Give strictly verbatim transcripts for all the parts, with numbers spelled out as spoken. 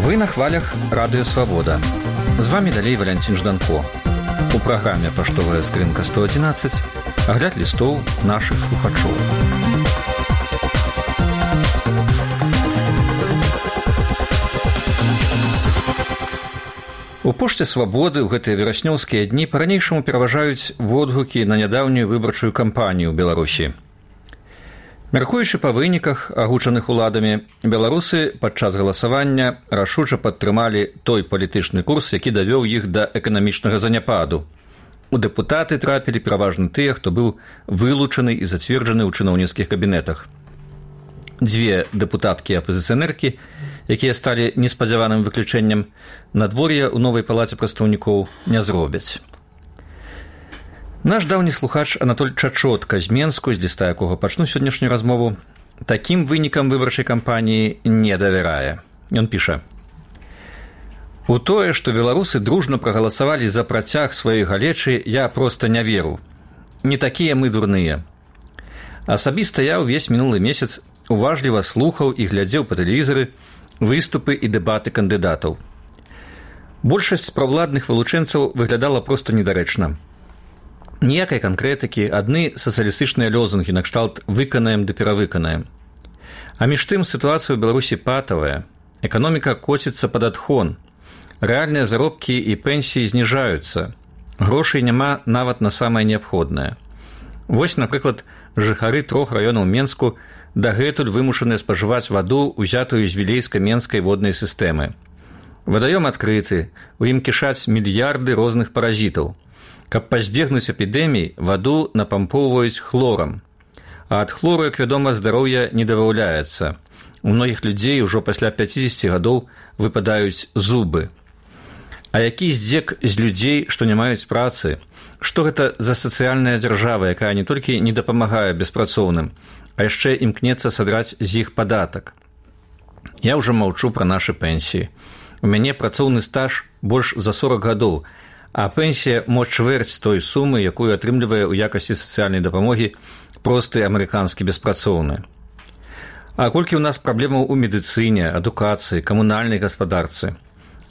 Вы на хвалях Радыё Свабода. З вами далей Валянцін Жданко. У праграме «Паштовая скрынка сто адзінаццаць» агляд лістоў нашых слухачоў. У пошце Свабоды ў гэтыя вераснёўскія дні па-ранейшаму пераважаюць водгукі на нядаўнюю выбарчую кампанію ў Беларусі. Мяркуючы па выніках, агучаных уладамі, беларусы падчас галасавання рашуча падтрымалі той палітычны курс, які давёў іх да эканамічнага заняпаду. У дэпутаты трапілі пераважна тыя, хто быў вылучаны і зацверджаны ў чыноўніцкіх кабінетах. Дзве дэпутаткі-апазіцыянеркі, якія сталі неспадзяваным выключэннем, надвор'я ў новай палаце прадстаўнікоў не зробяць. Наш даўні слухач Анатоль Чачотка з Менску, з ліста якога пачну сённяшнюю размову, такім вынікам выбарчай кампаніі не давярае. Ён піша: «У тое, што беларусы дружна прагаласавалі за працяг сваёй галечы, я проста не веру. Не такія мы дурныя. Асабіста я ўвесь мінулы месяц уважліва слухаў і глядзеў па тэлевізары выступы і дэбаты кандыдатаў. Большасць правладных вылучэнцаў выглядала проста недарэчна. Ніякай канкрэтыкі, адны сацыялістычныя лёзунгі накшталт «выканаем ды перавыканаем». А між тым сітуацыя ў Беларусі патавая. Эканоміка коціцца пад адхон. Рэальныя заробкі і пенсіі зніжаюцца. Грошай няма нават на самае неабходнае. Вось, напрыклад, жыхары трох раёнаў Менску дагэтуль вымушаныя спажываць ваду, узятую з вілейска-менскай воднай сістэмы. Вадаём адкрыты, у ім кішаць мільярды розных паразітаў. Каб пазбегнуць эпідэмій, ваду напампоўваюць хлорам. А ад хлору, як вядома, здароўя не дабаўляецца. У многіх людзей ужо пасля пяцідзесяці гадоў выпадаюць зубы. А які здзек з людзей, што не маюць працы? Што гэта за сацыяльная дзяржава, якая не толькі не дапамагае беспрацоўным, а яшчэ імкнецца садраць з іх падатак? Я ўжо маўчу пра нашы пенсіі. У мяне працоўны стаж больш за сорак гадоў, а пенсія мо чвэрць той сумы, якую атрымлівае ў якасці сацыяльнай дапамогі просты амерыканскі беспрацоўны. А колькі ў нас праблемаў у медыцыне, адукацыі, камунальнай гаспадарцы?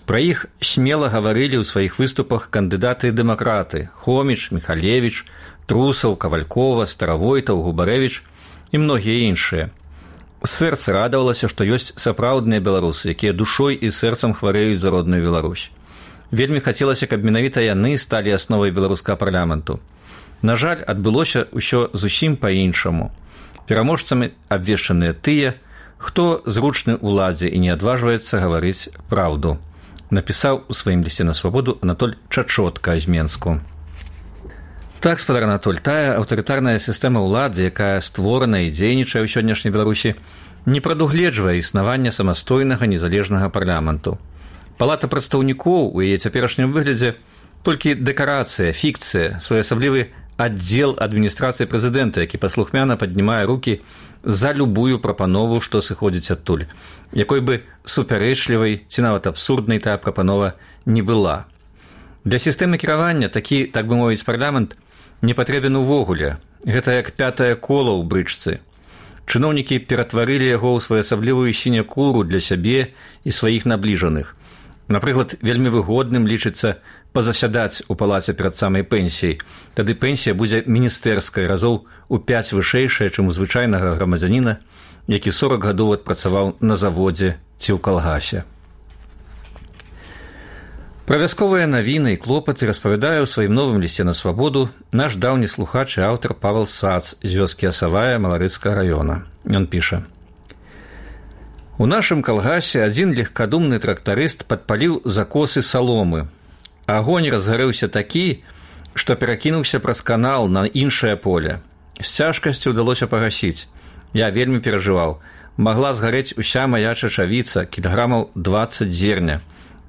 Пра іх смела гаварылі ў сваіх выступах кандыдаты-дэмакраты Хоміч, Міхалевіч, Трусаў, Кавалькова, Старавойтаў, Губарэвіч і многія іншыя. Сэрца радавалася, што ёсць сапраўдныя беларусы, якія душой і сэрцам хварэюць за родную Беларусь. Вельмі хацелася, каб менавіта яны сталі асновай беларускага парламенту. На жаль, адбылося ўсё зусім па-іншаму. Пераможцамі абвешчаныя тыя, хто зручны ўладзе і не адважваецца гаварыць праўду. Напісаў у сваім лісце на Свабоду Анатоль Чачотка з Менску. Так, спадар Анатоль, тая аўтарытарная сістэма ўлады, якая створана і дзейнічае ў сённяшняй Беларусі, не прадугледжвае існавання самастойнага незалежнага парламенту. Палата прадстаўнікоў у яе цяперашнім выглядзе толькі дэкарацыя, фікцыя, своеасаблівы аддзел адміністрацыі прэзідэнта, які паслухмяна паднімае рукі за любую прапанову, што сыходзіць адтуль, якой бы супярэчлівай ці нават абсурднай тая прапанова не была. Для сістэмы кіравання такі, так бы мовіць, парламент не патрэбен увогуле. Гэта як пятае кола ў брычцы. Чыноўнікі ператварылі яго ў своеасаблівую сінякуру для сябе і сваіх набліжаных. Напрыклад, вельмі выгодным лічыцца пазасядаць у палаце перад самай пенсіяй. Тады пенсія будзе міністэрскай, разоў у пяць вышэйшая, чым у звычайнага грамадзяніна, які сорак гадоў адпрацаваў на заводзе ці ў калгасе. Пра вясковыя навіны і клопаты распавядае ў сваім новым лісце на Свабоду наш даўні слухач і аўтар Павел Сац з вёскі Асавая Маларыцкага раёна. Ён піша: «У нашым калгасе адзін легкадумны трактарыст падпаліў закосы саломы. Агонь разгарэўся такі, што перакінуўся праз канал на іншае поле. З цяжкасцю ўдалося пагасіць. Я вельмі перажываў. Магла згарэць уся мая чачавіца, кілаграмаў дваццаць зерня.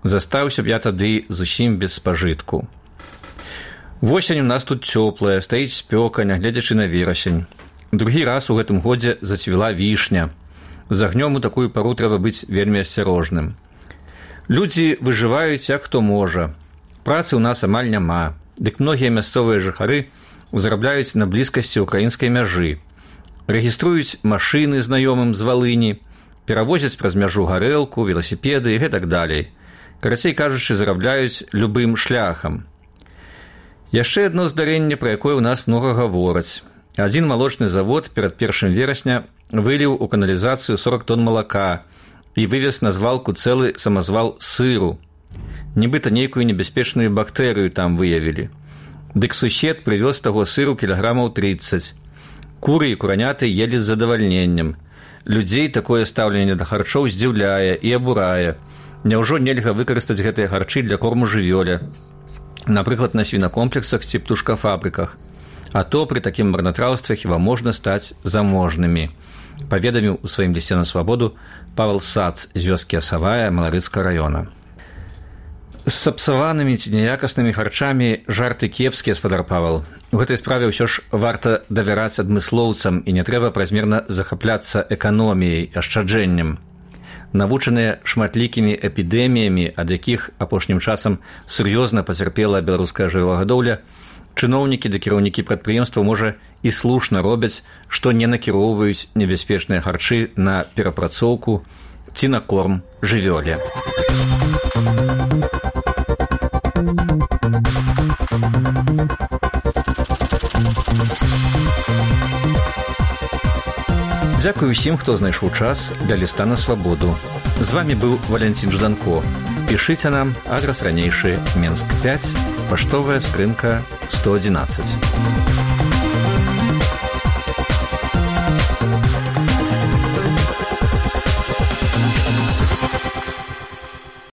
Застаўся б я тады зусім без спажытку. Восень у нас тут цёплая, стаіць спёка, нягледзячы на верасень. Другі раз у гэтым годзе зацвіла вішня. З агнём у такую пару трэба быць вельмі асцярожным. Людзі выжываюць як хто можа. Працы ў нас амаль няма. Дык многія мясцовыя жыхары зарабляюць на блізкасці ўкраінскай мяжы. Рэгіструюць машыны знаёмым з Валыні, перавозяць праз мяжу гарэлку, веласіпеды і гэтак далей. Карацей кажучы, зарабляюць любым шляхам. Яшчэ адно здарэнне, пра якое ў нас многа гавораць. Адзін малочны завод перад першым верасня выліў у каналізацыю сорок тонн малака і вывез на звалку цэлы самазвал сыру. Нібыта нейкую небяспечную бактэрыю там выявілі. Дык сусед прывёз таго сыру кілаграмаў трыццаць. Куры і кураняты елі з задавальненнем. Людзей такое стаўленне да харчоў здзіўляе і абурае. Няўжо нельга выкарыстаць гэтыя харчы для корму жывёле? Напрыклад, на свінакомплексах ці птушкафабрыках. А то пры такім марнатраўстве хіба можна стаць заможнымі, паведаміў у сваім лісце на свабоду Павел Сац з вёскі Асавая Маларыцкага раёна. З сапсаванымі ці няякаснымі харчамі жарты кепскія, спадар Павел. У гэтай справе ўсё ж варта давяраць адмыслоўцам і не трэба празмерна захапляцца эканоміяй, ашчаджэннем. Навучаныя шматлікімі эпідэміямі, ад якіх апошнім часам сур'ёзна пацярпела беларуская жывёлагадоўля, чыноўнікі ды кіраўнікі прадпрыемстваў, можа, і слушна робяць, што не накіроўваюць небяспечныя харчы на перапрацоўку ці на корм жывёле. Дзякую ўсім, хто знайшоў час для ліста на свабоду. З вамі быў Валянцін Жданко. Пішыце нам, адрас ранейшы, Менск пяць, паштовая скрынка сто адзінаццаць.